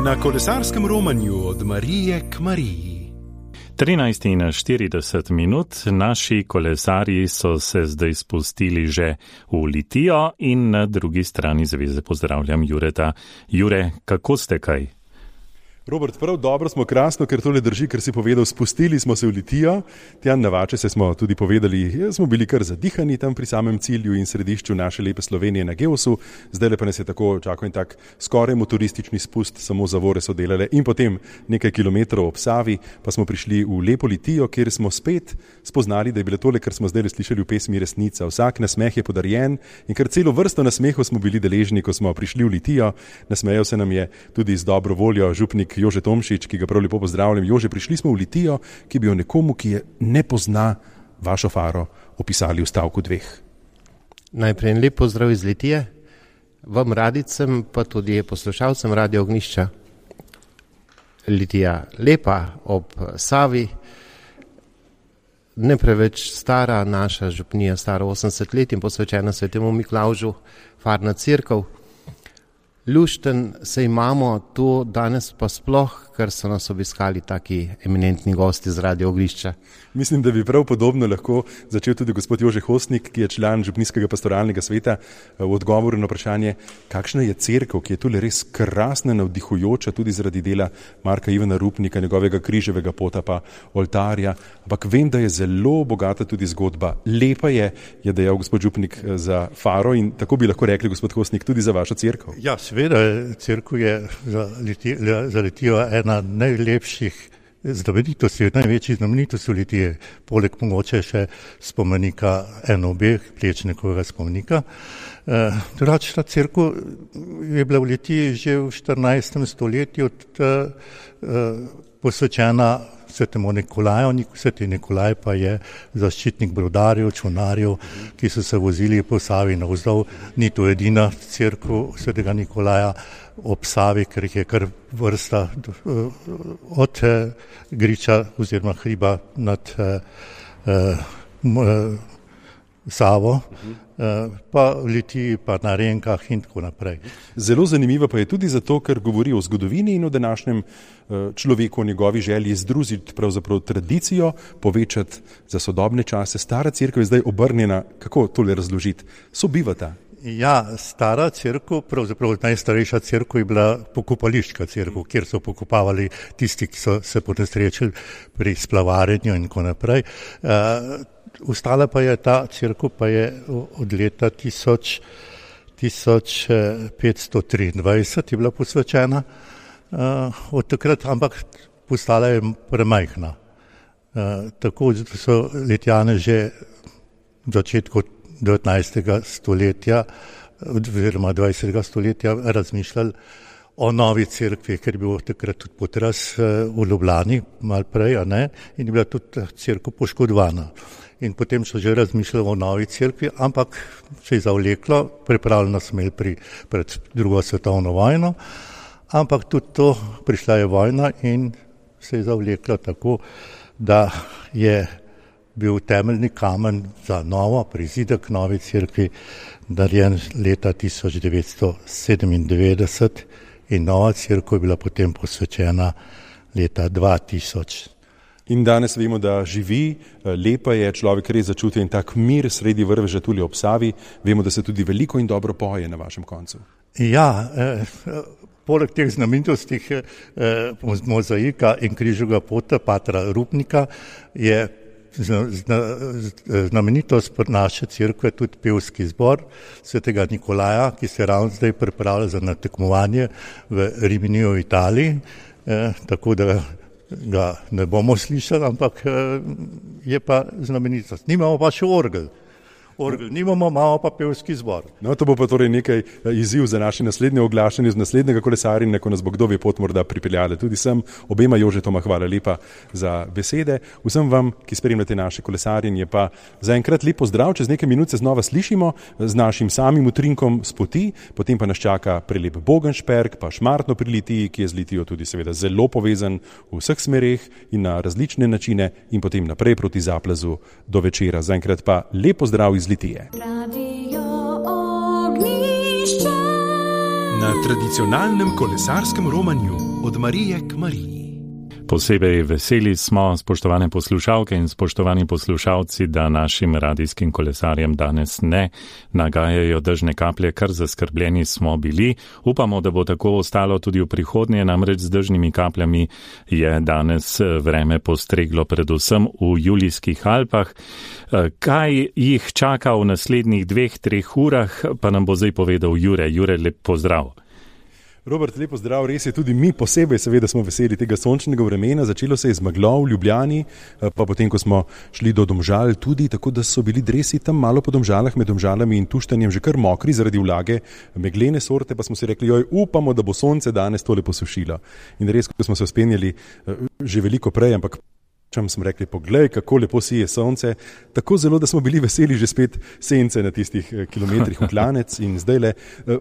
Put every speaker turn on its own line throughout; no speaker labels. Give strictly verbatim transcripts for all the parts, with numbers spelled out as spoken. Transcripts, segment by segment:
Na kolesarskem romanju od Marije k Mariji.
trinajst in štirideset minut, naši kolesarji so se zdaj spustili že v Litijo in na drugi strani zveze pozdravljam Jureta. Jure, kako ste kaj?
Robert, prav dobro smo, krasno, ker tole drži, ker si povedal, spustili smo se v Litijo, tja na Vačese smo tudi povedali, smo bili kar zadihani tam pri samem cilju in središču naše lepe Slovenije na Gevsu, zdaj pa nas je tako čakal in tak skoraj motoristični spust, samo zavore so delale in potem nekaj kilometrov ob Savi pa smo prišli v lepo Litijo, kjer smo spet spoznali, da je bilo tole, kar smo zdaj slišali v pesmi, resnica. Vsak nasmeh je podarjen in kar celo vrsto nasmehov smo bili deležni, ko smo prišli v Litijo. Nasmejal se nam je tudi z dobro voljo župnik Jože Tomšič, ki ga prav lepo pozdravljam. Jože, prišli smo v Litijo, ki bi jo nekomu, ki je ne pozna, vašo faro opisali v stavku dveh.
Najprej en lep pozdrav iz Litije, vam radicem, pa tudi poslušalcem Radio Ognjišča. Litija lepa ob Savi, ne preveč stara, naša župnija stara osemdeset let in posvečena svetemu Miklavžu, farna cerkev. Lušten se imamo tu danes pa sploh, ker so nas obiskali taki eminentni gosti z Radio Ognjišča.
Mislim, da bi prav podobno lahko začel tudi gospod Jože Hostnik, ki je član župnijskega pastoralnega sveta, v odgovoru na vprašanje, kakšna je cerkev, ki je tule res krasna, navdihujoča tudi zaradi dela Marka Ivana Rupnika, njegovega križevega pota pa oltarja, ampak vem, da je zelo bogata tudi zgodba. Lepa je, je dejal gospod župnik za faro in tako bi lahko rekli, gospod Hostnik, tudi za vašo cerkev.
Ja, seveda, cerkev je za Litijo, za Litijo ena najlepših znamenitosti, največji znamenitosti v Litiji, poleg mogoče še spomenika eno obeh, Plečnikovega spomenika. E, drugače, ta cerkev je bila v Litiji že v štirinajstem stoletju e, posvečena svetemu Nikolaju. Sveti Nikolaj pa je zaščitnik brodarjev, čolnarjev, ki so se vozili po Savi navzdol. Ni to edina cerkev svetega Nikolaja ob Savi, ker jih je kar vrsta od Griča oziroma hriba nad eh, eh, Savo, eh, pa v Litiji, pa na Renkah in tako naprej.
Zelo zanimivo pa je tudi zato, ker govori o zgodovini in o današnjem človeku, o njegovi želji združiti pravzaprav tradicijo, povečati za sodobne čase. Stara cerkev je zdaj obrnjena, kako tole razložiti, sobivata.
Ja, stara cerkev, pravzaprav najstarejša cerkev je bila pokopališka cerkev, kjer so pokopavali tisti, ki so se ponesrečili pri splavarjenju in tako naprej. Uh, Ostala pa je ta cerkev, pa je od leta tisoč petsto triindvajset je bila posvečena, uh, od takrat, ampak postala je premajhna. Uh, tako so Litijane že v začetku devetnajstega stoletja oziroma dvajsetega stoletja razmišljali o novi cerkvi, ker je bil takrat tudi potres v Ljubljani, malo prej, a ne, in je bila tudi cerkev poškodovana. In potem so že razmišljali o novi cerkvi, ampak se je zavleklo, pripravljeno smo imeli pri, pred drugo svetovno vojno, ampak tudi to, prišla je vojna in se je zavleklo tako, da je bil temeljni kamen za novo, prizidek novi cerkvi, narejen leta tisoč devetsto sedemindevetdeset in nova cerkev je bila potem posvečena leta dva tisoč.
In danes vemo, da živi, lepa je, človek res začuti in tak mir sredi vrveža tudi ob Savi. Vemo, da se tudi veliko in dobro poje na vašem koncu.
Ja, eh, poleg teh znamenitosti eh, mozaika in križevega pota patra Rupnika je znamenitost naše cerkve tudi pevski zbor svetega Nikolaja, ki se ravno zdaj pripravlja za natekmovanje v Rimini v Italiji, eh, tako da ga ne bomo slišali, ampak eh, je pa znamenitost. Nimamo pa še orgel. orgel nimamo, imamo pa pevski zbor.
No, to bo pa torej nekaj izziv za naše naslednje oglašanje z naslednjega kolesarjenja, ko nas bo kdo ve pot morda pripeljali. Tudi sem, obema Jožetoma hvala lepa za besede. Vsem vam, ki spremljate naše kolesarjenje, pa zaenkrat lep pozdrav, čez nekaj minut se znova slišimo z našim samim utrinkom s poti, potem pa nas čaka prelep Bogenšperk, pa Šmartno pri Litiji, ki je z Litijo tudi seveda zelo povezan v vseh smereh in na različne načine in potem naprej proti Zaplazu do večera. Zaenkrat pa lep pozdrav iz Litije.
Na tradicionalnem kolesarskem romanju od Marije k Mariji.
Posebej veseli smo, spoštovane poslušalke in spoštovani poslušalci, da našim radijskim kolesarjem danes ne nagajajo dežne kaplje, kar zaskrbljeni smo bili. Upamo, da bo tako ostalo tudi v prihodnje, namreč z dežnimi kapljami je danes vreme postreglo predvsem v Julijskih Alpah. Kaj jih čaka v naslednjih dveh, treh urah, pa nam bo zdaj povedal Jure. Jure, lep pozdrav.
Robert, lepo zdrav, res je, tudi mi posebej seveda smo veseli tega sončnega vremena, začelo se je z meglo v Ljubljani, pa potem, ko smo šli do Domžal tudi, tako da so bili dresi tam malo po Domžalah, med Domžalami in Tuštanjem že kar mokri zaradi vlage, meglene sorte, pa smo si rekli, joj, upamo, da bo sonce danes tole posušilo. In res, ko smo se uspenjali že veliko prej, ampak čem smo rekli, poglej, kako lepo sije sonce, tako zelo, da smo bili veseli že spet sence na tistih kilometrih v klanec in zdaj le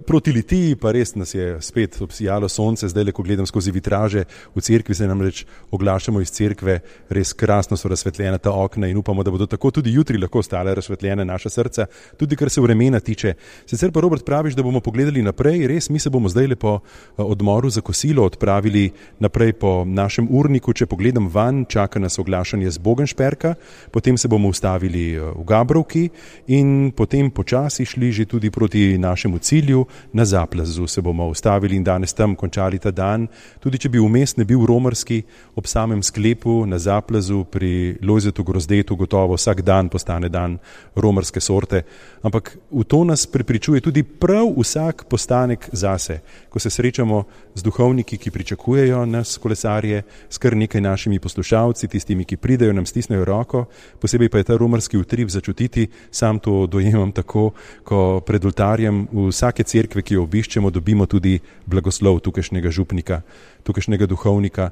proti Litiji pa res nas je spet obsijalo sonce, zdaj le, ko gledam skozi vitraže v cerkvi, se namreč oglašamo iz cerkve, res krasno so razsvetljena ta okna in upamo, da bodo tako tudi jutri lahko ostale razsvetljene naša srca, tudi kar se vremena tiče. Sicer pa, Robert, praviš, da bomo pogledali naprej, res, mi se bomo zdaj le po odmoru za kosilo odpravili naprej po našem urniku, če pogledam van, čaka nas oglašanje z Bogenšperka, potem se bomo ustavili v Gabrovki in potem počasi šli že tudi proti našemu cilju, na Zaplazu se bomo ustavili in danes tam končali ta dan. Tudi če bi vmes ne bil romarski, ob samem sklepu na Zaplazu pri Lojzetu Grozdetu gotovo vsak dan postane dan romarske sorte, ampak v to nas prepričuje tudi prav vsak postanek zase, ko se srečamo z duhovniki, ki pričakujejo nas kolesarje, s kar nekaj našimi poslušalci, tistimi, ki pridejo, nam stisnejo roko, posebej pa je ta romarski utrip začutiti, sam to dojemam tako, ko pred oltarjem vsake cerkve, ki jo obiščemo, dobimo tudi blagoslov tukajšnjega župnika, tukajšnjega duhovnika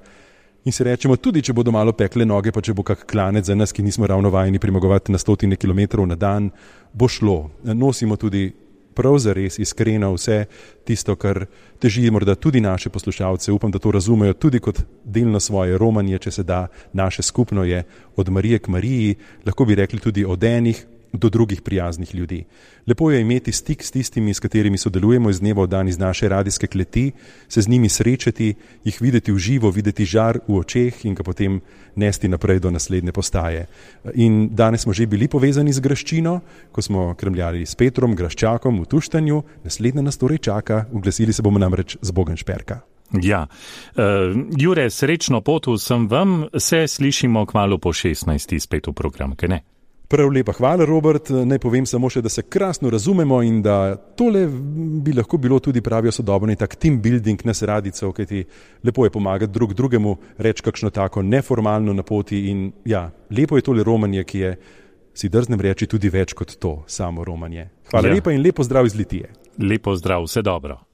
in se rečemo, tudi če bodo malo pekle noge, pa če bo kak klanec za nas, ki nismo ravno vajeni premagovati na stotine kilometrov na dan, bo šlo. Nosimo tudi prav zares iskreno vse tisto, kar teži morda tudi naše poslušalce. Upam, da to razumejo tudi kot delno svoje romanje, če se da, naše skupno je od Marije k Mariji, lahko bi rekli tudi od enih do drugih prijaznih ljudi. Lepo je imeti stik s tistimi, s katerimi sodelujemo iz dneva v dan iz naše radijske kleti, se z njimi srečati, jih videti v živo, videti žar v očeh in ga potem nesti naprej do naslednje postaje. In danes smo že bili povezani z graščino, ko smo krmljali s Petrom, graščakom v Tuštanju, naslednja nas torej čaka, uglasili se bomo namreč z Bogenšperka.
Ja, uh, Jure, srečno pot vsem vam, se slišimo kmalu po šestnajsti spet v program, kaj ne?
Prav lepa hvala, Robert. Naj povem samo še, da se krasno razumemo in da tole bi lahko bilo tudi pravijo sodobni tak team building nas radicov, kajti lepo je pomagati drug drugemu, reči kakšno tako neformalno na poti in ja, lepo je tole romanje, ki je, si drznem reči, tudi več kot to samo romanje. Hvala ja. lepa in lepo zdrav iz Litije.
Lepo zdrav, vse dobro.